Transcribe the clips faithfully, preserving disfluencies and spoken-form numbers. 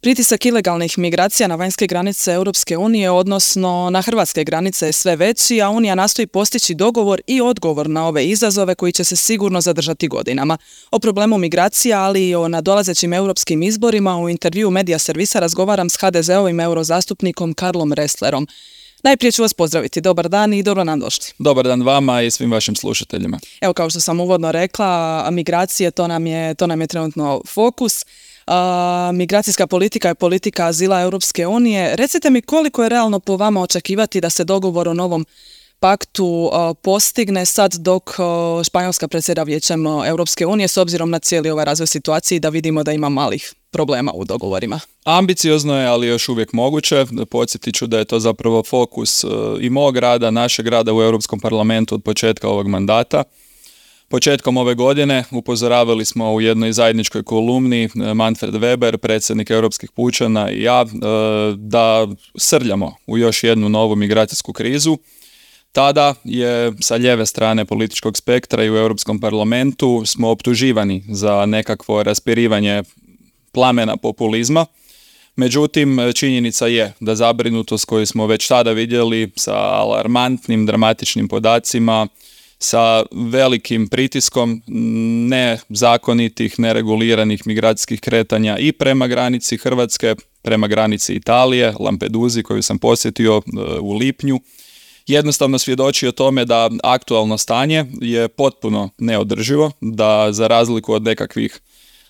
Pritisak ilegalnih migracija na vanjske granice Europske unije, odnosno na hrvatske granice, je sve veći, a Unija nastoji postići dogovor i odgovor na ove izazove koji će se sigurno zadržati godinama. O problemu migracija, ali i o nadolazećim europskim izborima u intervjuu Medija servisa razgovaram s ha de zeovim eurozastupnikom Karlom Resslerom. Najprije ću vas pozdraviti. Dobar dan i dobro nam došli. Dobar dan vama i svim vašim slušateljima. Evo, kao što sam uvodno rekla, migracije, to nam je, to nam je trenutno fokus. Uh, migracijska politika je politika azila Europske unije. Recite mi, koliko je realno po vama očekivati da se dogovor o novom paktu uh, postigne sad dok uh, Španjolska predsjeda Vijećem Europske unije, s obzirom na cijeli ovaj razvoj situacije, da vidimo da ima malih problema u dogovorima? Ambiciozno je, ali još uvijek moguće. Podsjetit ću da je to zapravo fokus uh, i mog rada, našeg rada u Europskom parlamentu od početka ovog mandata. Početkom ove godine upozoravali smo u jednoj zajedničkoj kolumni Manfred Weber, predsjednik Europskih pučana, i ja, da srljamo u još jednu novu migracijsku krizu. Tada je sa lijeve strane političkog spektra i u Europskom parlamentu smo optuživani za nekakvo raspirivanje plamena populizma. Međutim, činjenica je da zabrinutost koju smo već tada vidjeli sa alarmantnim, dramatičnim podacima, sa velikim pritiskom nezakonitih, nereguliranih migracijskih kretanja i prema granici Hrvatske, prema granici Italije, Lampeduzi koju sam posjetio u lipnju, jednostavno svjedoči o tome da aktualno stanje je potpuno neodrživo, da za razliku od nekakvih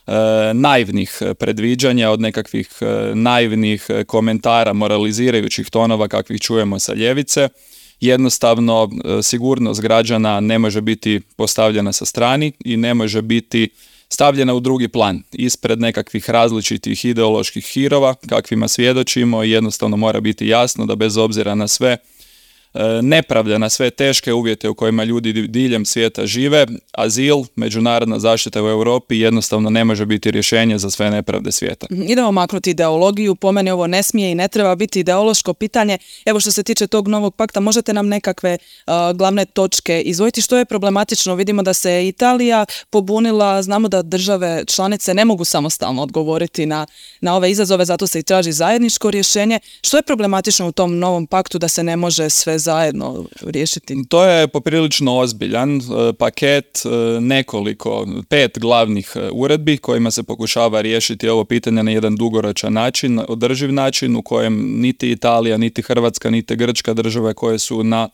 e, naivnih predviđanja, od nekakvih e, naivnih komentara, moralizirajućih tonova kakvih čujemo sa ljevice, jednostavno sigurnost građana ne može biti postavljena sa strani i ne može biti stavljena u drugi plan ispred nekakvih različitih ideoloških hirova kakvima svjedočimo. Jednostavno mora biti jasno da bez obzira na sve nepravde, na sve teške uvjete u kojima ljudi diljem svijeta žive, azil, međunarodna zaštita u Europi jednostavno ne može biti rješenje za sve nepravde svijeta. Idemo maknuti ideologiju, po meni ovo ne smije i ne treba biti ideološko pitanje. Evo, što se tiče tog novog pakta, možete nam nekakve uh, glavne točke izdvojiti? Što je problematično? Vidimo da se Italija pobunila, znamo da države članice ne mogu samostalno odgovoriti na, na ove izazove, zato se i traži zajedničko rješenje. Što je problematično u tom novom paktu da se ne može sve zajedno riješiti? To je poprilično ozbiljan paket, nekoliko, pet glavnih uredbi kojima se pokušava riješiti ovo pitanje na jedan dugoročan način, održiv način u kojem niti Italija, niti Hrvatska, niti Grčka, države koje su na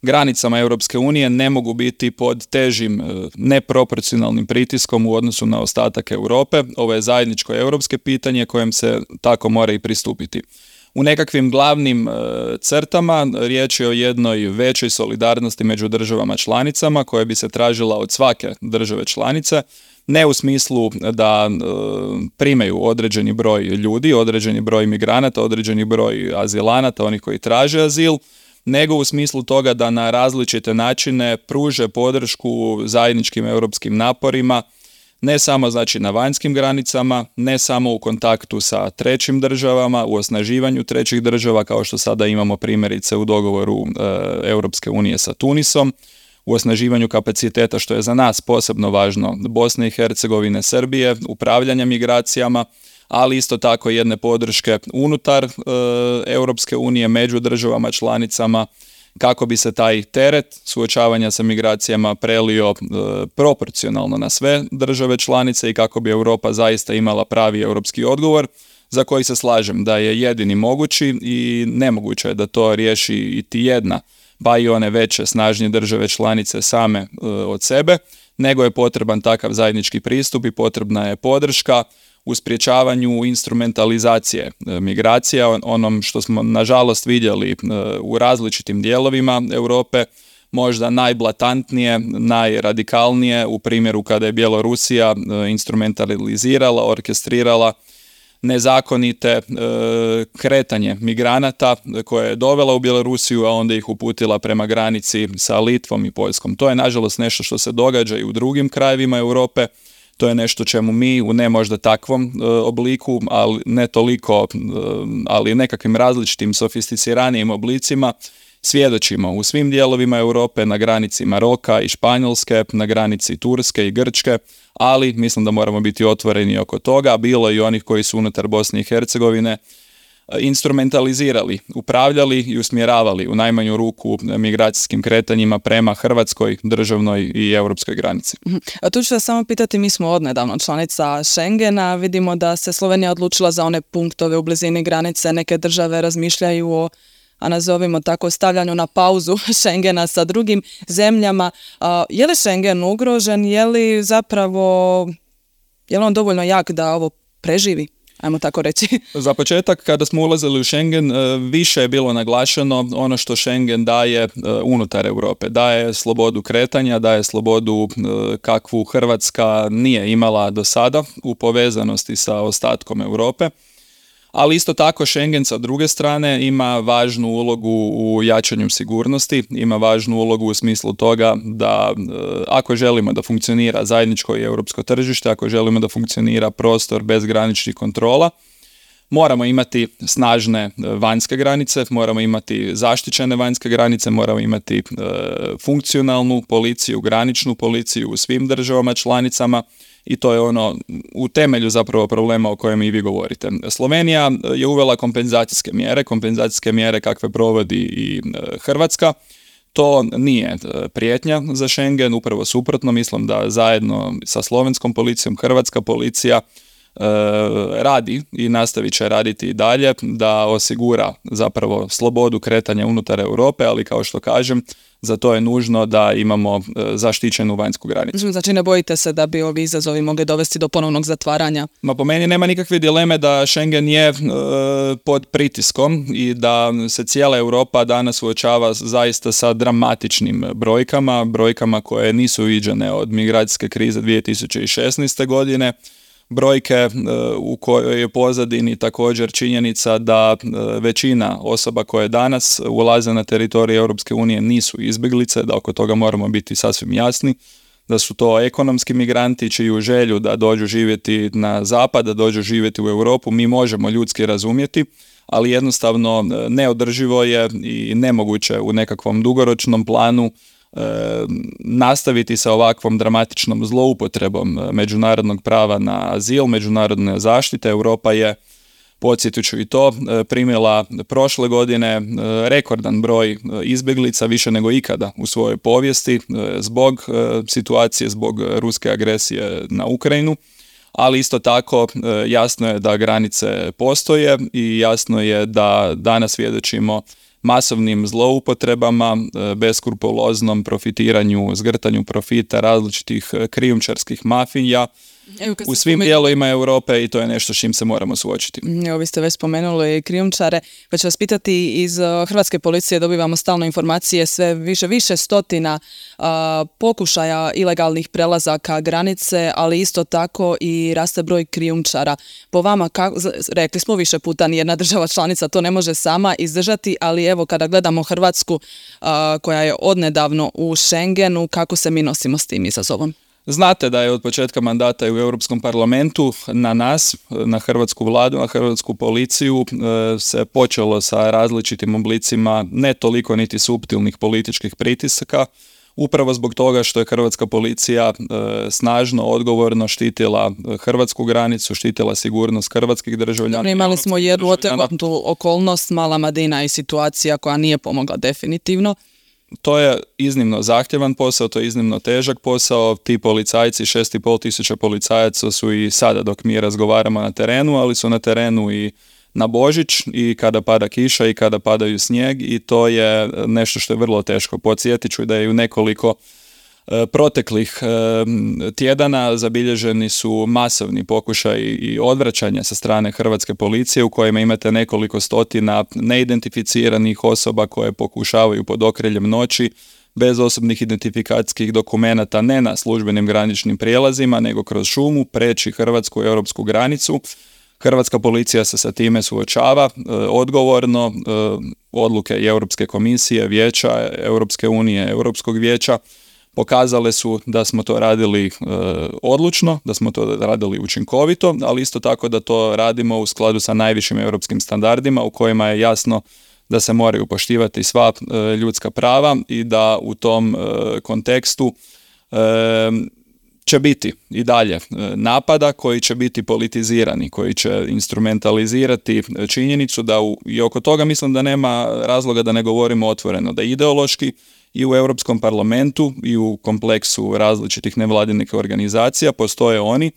granicama Europske unije, ne mogu biti pod težim neproporcionalnim pritiskom u odnosu na ostatak Europe. Ovo je zajedničko europske pitanje kojem se tako mora i pristupiti. U nekakvim glavnim e, crtama riječ je o jednoj većoj solidarnosti među državama članicama koja bi se tražila od svake države članice, ne u smislu da e, primaju određeni broj ljudi, određeni broj migranata, određeni broj azilanata, onih koji traže azil, nego u smislu toga da na različite načine pruže podršku zajedničkim europskim naporima, ne samo znači na vanjskim granicama, ne samo u kontaktu sa trećim državama, u osnaživanju trećih država, kao što sada imamo primjerice u dogovoru e, Europske unije sa Tunisom, u osnaživanju kapaciteta, što je za nas posebno važno, Bosne i Hercegovine, Srbije, upravljanja migracijama, ali isto tako jedne podrške unutar e, Europske unije među državama članicama, kako bi se taj teret suočavanja sa migracijama prelio e, proporcionalno na sve države članice i kako bi Europa zaista imala pravi europski odgovor, za koji se slažem da je jedini mogući i nemoguće je da to riješi iti jedna, pa i one veće, snažnije države članice same e, od sebe, nego je potreban takav zajednički pristup i potrebna je podrška u sprječavanju instrumentalizacije migracija, onom što smo nažalost vidjeli u različitim dijelovima Europe, možda najblatantnije, najradikalnije u primjeru kada je Bjelorusija instrumentalizirala, orkestrirala nezakonite kretanje migranata koje je dovela u Bjelorusiju, a onda ih uputila prema granici sa Litvom i Poljskom. To je nažalost nešto što se događa i u drugim krajevima Europe. To je nešto čemu mi u ne možda takvom e, obliku, ali ne toliko, e, ali nekakvim različitim sofisticiranijim oblicima svjedočimo u svim dijelovima Europe, na granici Maroka i Španjolske, na granici Turske i Grčke, ali mislim da moramo biti otvoreni oko toga. Bilo je i onih koji su unutar Bosne i Hercegovine instrumentalizirali, upravljali i usmjeravali u najmanju ruku migracijskim kretanjima prema hrvatskoj državnoj i europskoj granici. A tu ću vas samo pitati, mi smo odnedavno članica Schengena, vidimo da se Slovenija odlučila za one punktove u blizini granice, neke države razmišljaju o, a nazovimo tako, stavljanju na pauzu Schengena sa drugim zemljama. A, je li Schengen ugrožen, je li zapravo, je li on dovoljno jak da ovo preživi? Ajmo tako reći. Za početak, kada smo ulazili u Schengen, više je bilo naglašeno ono što Schengen daje unutar Europe. Daje slobodu kretanja, daje slobodu kakvu Hrvatska nije imala do sada u povezanosti sa ostatkom Europe. Ali isto tako Schengen sa druge strane ima važnu ulogu u jačanju sigurnosti, ima važnu ulogu u smislu toga da ako želimo da funkcionira zajedničko i europsko tržište, ako želimo da funkcionira prostor bez graničnih kontrola, moramo imati snažne vanjske granice, moramo imati zaštićene vanjske granice, moramo imati e, funkcionalnu policiju, graničnu policiju u svim državama članicama. I to je ono u temelju zapravo problema o kojem i vi govorite. Slovenija je uvela kompenzacijske mjere, kompenzacijske mjere kakve provodi i Hrvatska. To nije prijetnja za Schengen, upravo suprotno, mislim da zajedno sa slovenskom policijom hrvatska policija e, radi i nastavit će raditi i dalje da osigura zapravo slobodu kretanja unutar Europe, ali kao što kažem, za to je nužno da imamo zaštićenu vanjsku granicu. Znači ne bojite se da bi ovi izazovi mogli dovesti do ponovnog zatvaranja? Ma po meni nema nikakve dileme da Schengen je e, pod pritiskom i da se cijela Europa danas suočava zaista sa dramatičnim brojkama, brojkama koje nisu viđene od migracijske krize dvije tisuće šesnaeste. godine. Brojke u kojoj je pozadini također činjenica da većina osoba koje danas ulaze na teritorij Europske unije nisu izbjeglice, da oko toga moramo biti sasvim jasni, da su to ekonomski migranti čiju želju da dođu živjeti na zapad, da dođu živjeti u Europu, mi možemo ljudski razumjeti, ali jednostavno neodrživo je i nemoguće u nekakvom dugoročnom planu E, nastaviti sa ovakvom dramatičnom zloupotrebom međunarodnog prava na azil, međunarodne zaštite. Europa je, podsjetit ću i to, primila prošle godine rekordan broj izbjeglica, više nego ikada u svojoj povijesti, zbog situacije, zbog ruske agresije na Ukrajinu, ali isto tako jasno je da granice postoje i jasno je da danas svjedočimo masovnim zloupotrebama, beskrupuloznom profitiranju, zgrtanju profita različitih krijumčarskih mafija u svim dijelovima Europe i to je nešto s čim se moramo suočiti. Evo, vi ste već spomenuli krijumčare, pa ću vas pitati, iz hrvatske policije dobivamo stalno informacije, sve više, više stotina a, pokušaja ilegalnih prelazaka granice, ali isto tako i raste broj krijumčara. Po vama, kako, rekli smo više puta, nijedna država članica to ne može sama izdržati, ali evo kada gledamo Hrvatsku a, koja je odnedavno u Schengenu, kako se mi nosimo s tim izazovom? Znate da je od početka mandata u Europskom parlamentu na nas, na hrvatsku vladu, na hrvatsku policiju se počelo sa različitim oblicima ne toliko niti suptilnih političkih pritisaka, upravo zbog toga što je hrvatska policija snažno, odgovorno štitila hrvatsku granicu, štitila sigurnost hrvatskih državljana. Imali smo jednu otegotnu okolnost, Mala Madina i situacija koja nije pomogla definitivno. To je iznimno zahtjevan posao, to je iznimno težak posao. Ti policajci, šest i pol tisuća policajaca su i sada dok mi razgovaramo na terenu, ali su na terenu i na Božić i kada pada kiša i kada padaju snijeg i to je nešto što je vrlo teško. Podsjetit ću da je u nekoliko proteklih tjedana zabilježeni su masovni pokušaj i odvraćanja sa strane hrvatske policije u kojima imate nekoliko stotina neidentificiranih osoba koje pokušavaju pod okriljem noći bez osobnih identifikacijskih dokumenata ne na službenim graničnim prijelazima nego kroz šumu preći hrvatsku i europsku granicu. Hrvatska policija se sa time suočava odgovorno, odluke i Europske komisije, Vijeća Europske unije, Europskog vijeća pokazale su da smo to radili e, odlučno, da smo to radili učinkovito, ali isto tako da to radimo u skladu sa najvišim europskim standardima u kojima je jasno da se moraju poštivati sva ljudska prava i da u tom kontekstu će biti i dalje napada koji će biti politizirani, koji će instrumentalizirati činjenicu da u, i oko toga mislim da nema razloga da ne govorimo otvoreno, da ideološki i u Europskom parlamentu i u kompleksu različitih nevladinih organizacija postoje oni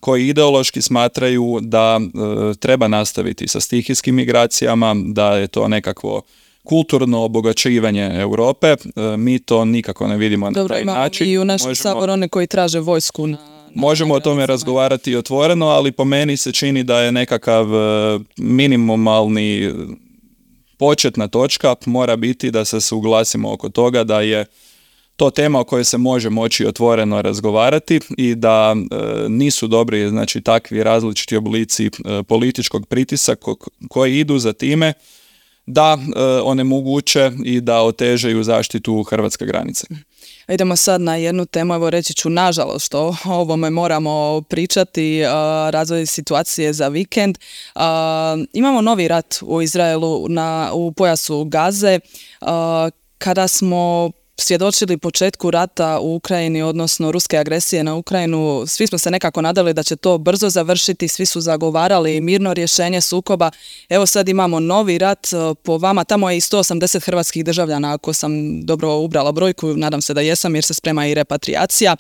koji ideološki smatraju da e, treba nastaviti sa stihijskim migracijama, da je to nekakvo kulturno obogaćivanje Europe. E, mi to nikako ne vidimo. Dobro, na taj način. I u našem saboru one koji traže vojsku na... Možemo o tome razgovarati otvoreno, ali po meni se čini da je nekakav minimalni početna točka mora biti da se suglasimo oko toga da je to tema o kojoj se može moći otvoreno razgovarati i da e, nisu dobri, znači, takvi različiti oblici e, političkog pritiska koji idu za time da e, onemoguće i da otežaju zaštitu hrvatske granice. Idemo sad na jednu temu, evo reći ću nažalost što o ovome moramo pričati, razvoj situacije za vikend. Imamo novi rat u Izraelu na, u pojasu Gaze. Kada smo svjedočili početku rata u Ukrajini, odnosno ruske agresije na Ukrajinu, svi smo se nekako nadali da će to brzo završiti, svi su zagovarali mirno rješenje sukoba. Evo sad imamo novi rat, po vama tamo je i sto osamdeset hrvatskih državljana, ako sam dobro ubrala brojku, nadam se da jesam jer se sprema i repatriacija.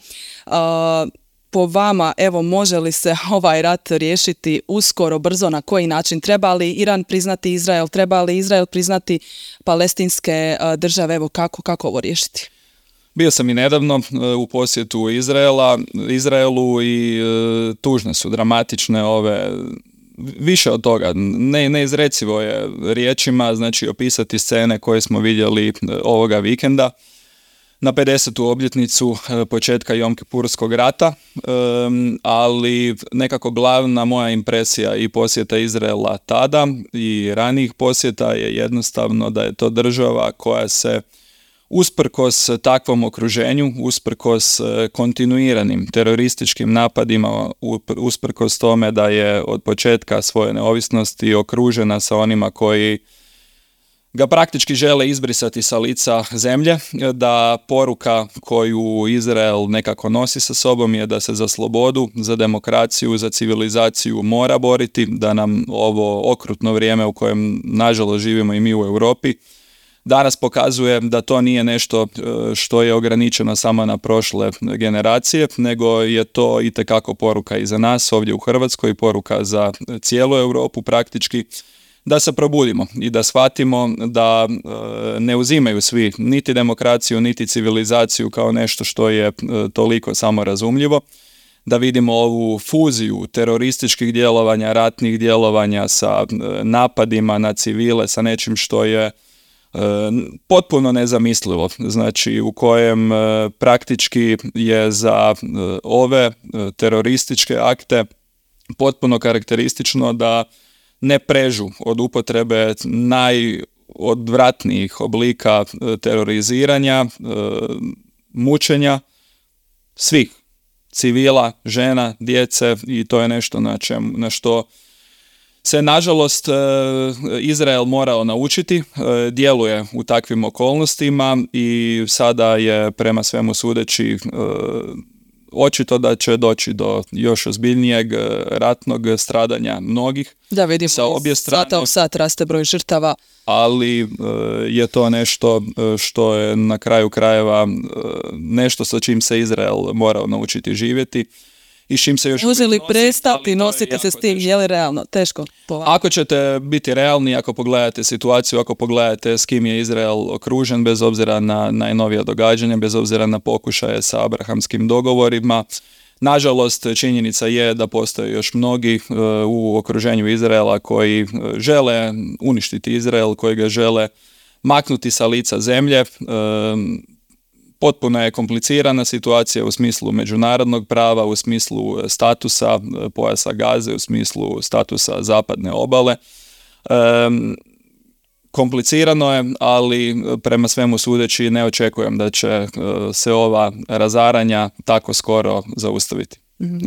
Po vama, evo, može li se ovaj rat riješiti uskoro, brzo, na koji način? Treba li Iran priznati Izrael? Treba li Izrael priznati palestinske države? Evo, kako, kako ovo riješiti? Bio sam i nedavno u posjetu Izraela, Izraelu i e, tužne su, dramatične ove, više od toga, ne, neizrecivo je riječima, znači opisati scene koje smo vidjeli ovoga vikenda na pedesetu obljetnicu početka Jom-Kipurskog rata, ali nekako glavna moja impresija i posjeta Izraela tada i ranijih posjeta je jednostavno da je to država koja se usprkos takvom okruženju, usprkos kontinuiranim terorističkim napadima, usprkos tome da je od početka svoje neovisnosti okružena sa onima koji ga praktički žele izbrisati sa lica zemlje, da poruka koju Izrael nekako nosi sa sobom je da se za slobodu, za demokraciju, za civilizaciju mora boriti, da nam ovo okrutno vrijeme u kojem nažalost živimo i mi u Europi danas pokazuje da to nije nešto što je ograničeno samo na prošle generacije, nego je to itekako poruka i za nas ovdje u Hrvatskoj, poruka za cijelu Europu praktički, da se probudimo i da shvatimo da e, ne uzimaju svi niti demokraciju, niti civilizaciju kao nešto što je e, toliko samorazumljivo, da vidimo ovu fuziju terorističkih djelovanja, ratnih djelovanja sa e, napadima na civile, sa nečim što je e, potpuno nezamislivo, znači u kojem e, praktički je za e, ove e, terorističke akte potpuno karakteristično da ne prežu od upotrebe najodvratnijih oblika teroriziranja, mučenja svih civila, žena, djece i to je nešto na, čem, na što se nažalost Izrael morao naučiti, djeluje u takvim okolnostima i sada je prema svemu sudeći očito da će doći do još ozbiljnijeg ratnog stradanja mnogih. Da, vidimo, sa obje strane, sata u sat raste broj žrtava. Ali je to nešto što je na kraju krajeva nešto sa čim se Izrael morao naučiti živjeti. I čim se još može li prestati nositi se s tim, je li realno? Teško. Ako ćete biti realni, ako pogledate situaciju, ako pogledate s kim je Izrael okružen, bez obzira na najnovija događanja, bez obzira na pokušaje sa abrahamskim dogovorima, nažalost činjenica je da postoje još mnogi uh, u okruženju Izraela koji uh, žele uništiti Izrael, koji ga žele maknuti sa lica zemlje. Uh, Potpuno je komplicirana situacija u smislu međunarodnog prava, u smislu statusa pojasa Gaze, u smislu statusa zapadne obale. E, komplicirano je, ali prema svemu sudeći ne očekujem da će se ova razaranja tako skoro zaustaviti.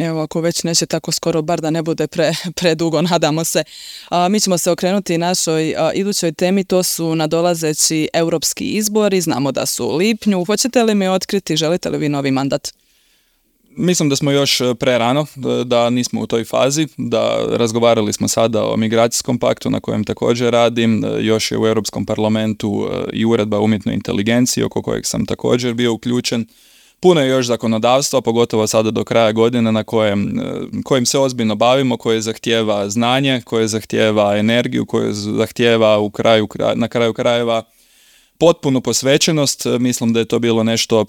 Evo, ako već neće tako skoro, bar da ne bude pre, predugo, nadamo se. A, mi ćemo se okrenuti našoj a, idućoj temi, to su nadolazeći europski izbori, znamo da su u lipnju. Hoćete li mi otkriti, želite li vi novi mandat? Mislim da smo još prerano, da nismo u toj fazi, da razgovarali smo sada o migracijskom paktu na kojem također radim, još je u Europskom parlamentu i uredba o umjetnoj inteligenciji oko kojeg sam također bio uključen. Puno je još zakonodavstva, pogotovo sada do kraja godine na kojem, kojim se ozbiljno bavimo, koje zahtijeva znanje, koje zahtijeva energiju, koje zahtijeva u kraju, na kraju krajeva potpunu posvećenost. Mislim da je to bilo nešto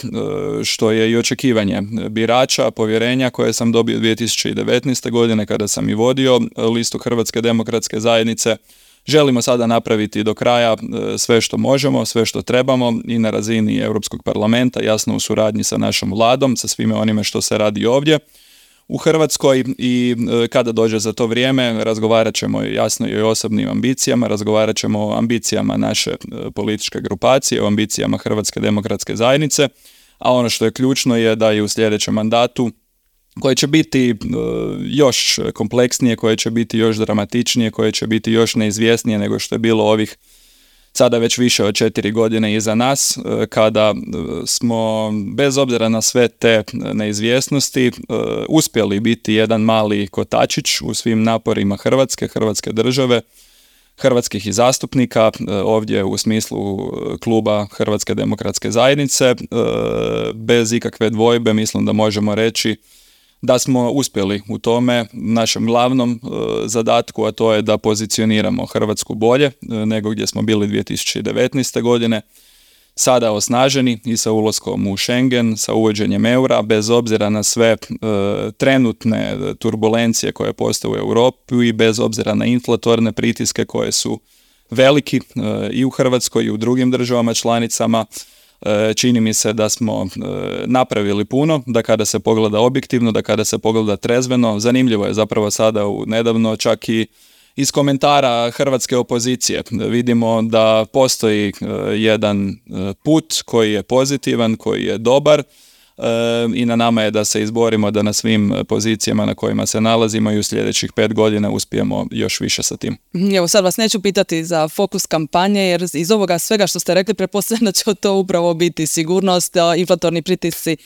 što je i očekivanje birača, povjerenja koje sam dobio dvije tisuće devetnaeste. godine kada sam i vodio listu Hrvatske demokratske zajednice. Želimo sada napraviti do kraja sve što možemo, sve što trebamo i na razini Europskog parlamenta, jasno u suradnji sa našom vladom, sa svime onime što se radi ovdje u Hrvatskoj, i kada dođe za to vrijeme razgovarat ćemo jasno i o osobnim ambicijama, razgovarat ćemo o ambicijama naše političke grupacije, o ambicijama Hrvatske demokratske zajednice, a ono što je ključno je da i u sljedećem mandatu, koje će biti još kompleksnije, koje će biti još dramatičnije, koje će biti još neizvjesnije nego što je bilo ovih sada već više od četiri godine iza nas, kada smo bez obzira na sve te neizvjesnosti uspjeli biti jedan mali kotačić u svim naporima Hrvatske, Hrvatske države, hrvatskih i zastupnika, ovdje u smislu kluba Hrvatske demokratske zajednice. Bez ikakve dvojbe mislim da možemo reći da smo uspjeli u tome našem glavnom e, zadatku, a to je da pozicioniramo Hrvatsku bolje e, nego gdje smo bili dvije tisuće devetnaeste. godine. Sada osnaženi i sa ulaskom u Schengen, sa uvođenjem eura, bez obzira na sve e, trenutne turbulencije koje postoje u Europi i bez obzira na inflatorne pritiske koje su veliki e, i u Hrvatskoj i u drugim državama članicama. Čini mi se da smo napravili puno, da kada se pogleda objektivno, da kada se pogleda trezveno, zanimljivo je zapravo sada u nedavno čak i iz komentara hrvatske opozicije vidimo da postoji jedan put koji je pozitivan, koji je dobar, i na nama je da se izborimo da na svim pozicijama na kojima se nalazimo i u sljedećih pet godina uspijemo još više sa tim. Evo, sad vas neću pitati za fokus kampanje, jer iz ovoga svega što ste rekli pretpostavljam da će to upravo biti sigurnost, inflatorni pritisci,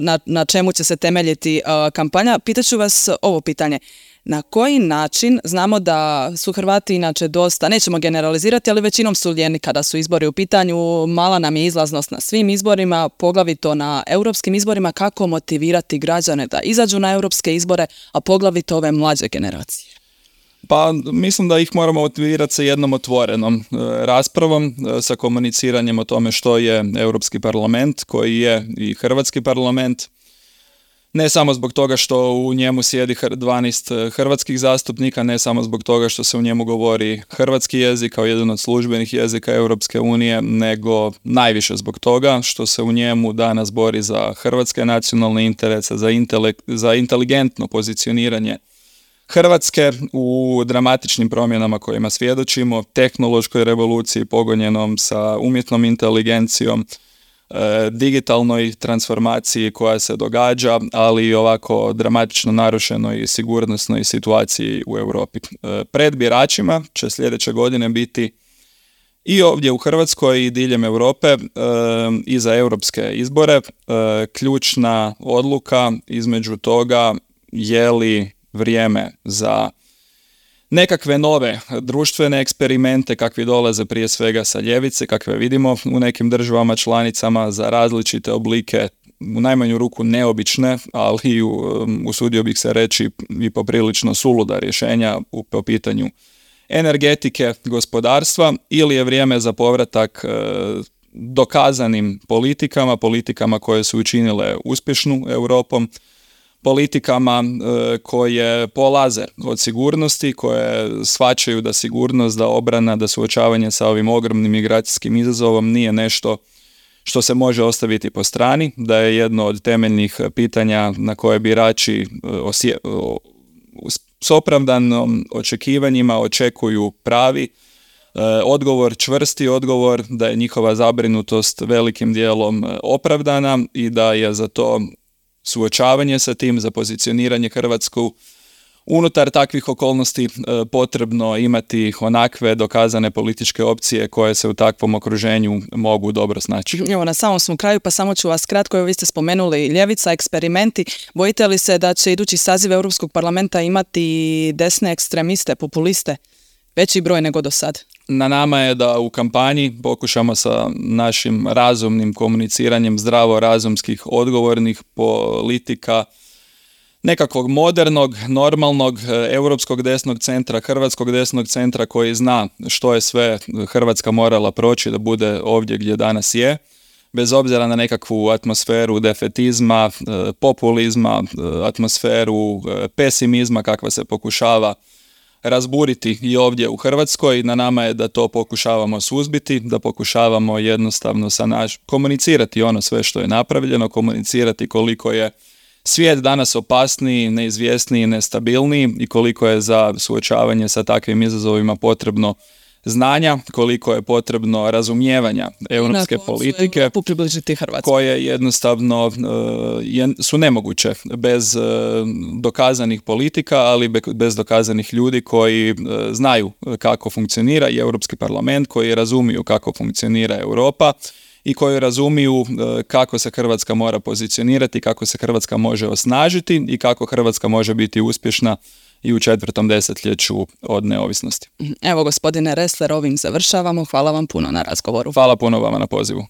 na, na čemu će se temeljiti kampanja. Pitaću vas ovo pitanje. Na koji način, znamo da su Hrvati inače dosta, nećemo generalizirati, ali većinom su lijeni kada su izbori u pitanju, mala nam je izlaznost na svim izborima, poglavito na europskim izborima, kako motivirati građane da izađu na europske izbore, a poglavito ove mlađe generacije? Pa mislim da ih moramo motivirati sa jednom otvorenom e, raspravom, e, sa komuniciranjem o tome što je Europski parlament, koji je i Hrvatski parlament. Ne samo zbog toga što u njemu sjedi dvanaest hrvatskih zastupnika, ne samo zbog toga što se u njemu govori hrvatski jezik kao jedan od službenih jezika Europske unije, nego najviše zbog toga što se u njemu danas bori za hrvatske nacionalne interese, za, intelekt, za inteligentno pozicioniranje Hrvatske u dramatičnim promjenama kojima svjedočimo, tehnološkoj revoluciji pogonjenom sa umjetnom inteligencijom, digitalnoj transformaciji koja se događa, ali i ovako dramatično narušenoj sigurnosnoj situaciji u Europi. Pred biračima će sljedeće godine biti i ovdje u Hrvatskoj i diljem Europe i za europske izbore ključna odluka između toga je li vrijeme za nekakve nove društvene eksperimente kakvi dolaze prije svega sa ljevice, kakve vidimo u nekim državama članicama, za različite oblike, u najmanju ruku neobične, ali usudio bih se reći i poprilično suluda rješenja u, po pitanju energetike, gospodarstva, ili je vrijeme za povratak e, dokazanim politikama, politikama koje su učinile uspješnu Europom, politikama e, koje polaze od sigurnosti, koje shvaćaju da sigurnost, da obrana, da suočavanje sa ovim ogromnim migracijskim izazovom nije nešto što se može ostaviti po strani, da je jedno od temeljnih pitanja na koje birači osje, o, s opravdanom očekivanjima očekuju pravi e, odgovor, čvrsti odgovor, da je njihova zabrinutost velikim dijelom opravdana i da je za to suočavanje sa tim, za pozicioniranje Hrvatsku unutar takvih okolnosti e, potrebno imati onakve dokazane političke opcije koje se u takvom okruženju mogu dobro snaći. Evo, na samom smo kraju, pa samo ću vas kratko, evo vi ste spomenuli ljevica, eksperimenti. Bojite li se da će idući saziv Europskog parlamenta imati desne ekstremiste, populiste, veći broj nego do sad? Na nama je da u kampanji pokušamo sa našim razumnim komuniciranjem zdravo razumskih odgovornih politika nekakvog modernog, normalnog, europskog desnog centra, hrvatskog desnog centra koji zna što je sve Hrvatska morala proći da bude ovdje gdje danas je, bez obzira na nekakvu atmosferu defetizma, populizma, atmosferu pesimizma kakva se pokušava razburiti i ovdje u Hrvatskoj. Na nama je da to pokušavamo suzbiti, da pokušavamo jednostavno sa naš komunicirati ono sve što je napravljeno, komunicirati koliko je svijet danas opasniji, neizvjesniji, nestabilniji i koliko je za suočavanje sa takvim izazovima potrebno znanja, koliko je potrebno razumijevanja europske politike koje jednostavno uh, je, su nemoguće bez uh, dokazanih politika, ali be, bez dokazanih ljudi koji uh, znaju kako funkcionira i Europski parlament, koji razumiju kako funkcionira Europa i koji razumiju uh, kako se Hrvatska mora pozicionirati, kako se Hrvatska može osnažiti i kako Hrvatska može biti uspješna i u četvrtom desetljeću od neovisnosti. Evo, gospodine Ressler, ovim završavamo. Hvala vam puno na razgovoru. Hvala puno vama na pozivu.